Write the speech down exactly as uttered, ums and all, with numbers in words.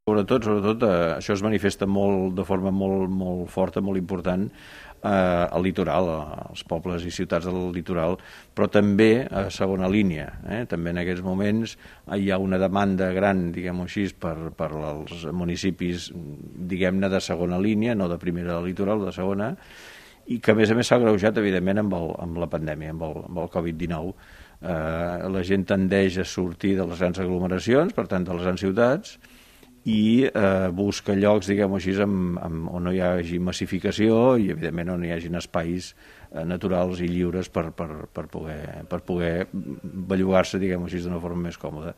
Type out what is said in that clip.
Sobretot, sobretot, eh, això es manifesta molt, de forma molt, molt forta, molt important, eh, al litoral, als pobles i ciutats del litoral, però també a segona línia. Eh? També en aquests moments hi ha una demanda gran, diguem-ho així, per, per als municipis, diguem-ne, de segona línia, no de primera del litoral, de segona, i que a més a més s'ha agreujat, evidentment, amb, el, amb la pandèmia, amb el, amb el covid dinou. Eh, la gent tendeix a sortir de les grans aglomeracions, per tant, de les grans ciutats, i eh, busca llocs, diguem-ho així, amb, amb, on no hi hagi massificació i, evidentment, on hi hagin espais eh, naturals i lliures per, per, per poder, per poder bellugar-se, diguem-ho així, d'una forma més còmoda.